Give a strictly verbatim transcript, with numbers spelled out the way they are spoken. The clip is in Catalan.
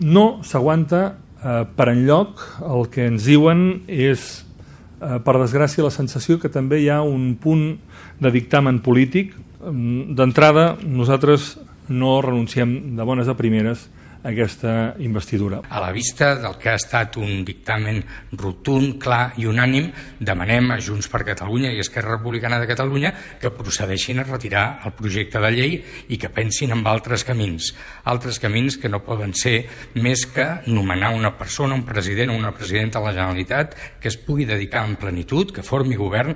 No s'aguanta eh, per enlloc. El que ens diuen és, eh, per desgràcia, la sensació que també hi ha un punt de dictamen polític. D'entrada, nosaltres no renunciem de bones a primeres a aquesta investidura. A la vista del que ha estat un dictamen rotund, clar i unànim, demanem a Junts per Catalunya i Esquerra Republicana de Catalunya que procedeixin a retirar el projecte de llei i que pensin en altres camins. Altres camins que no poden ser més que nomenar una persona, un president o una presidenta de la Generalitat que es pugui dedicar en plenitud, que formi govern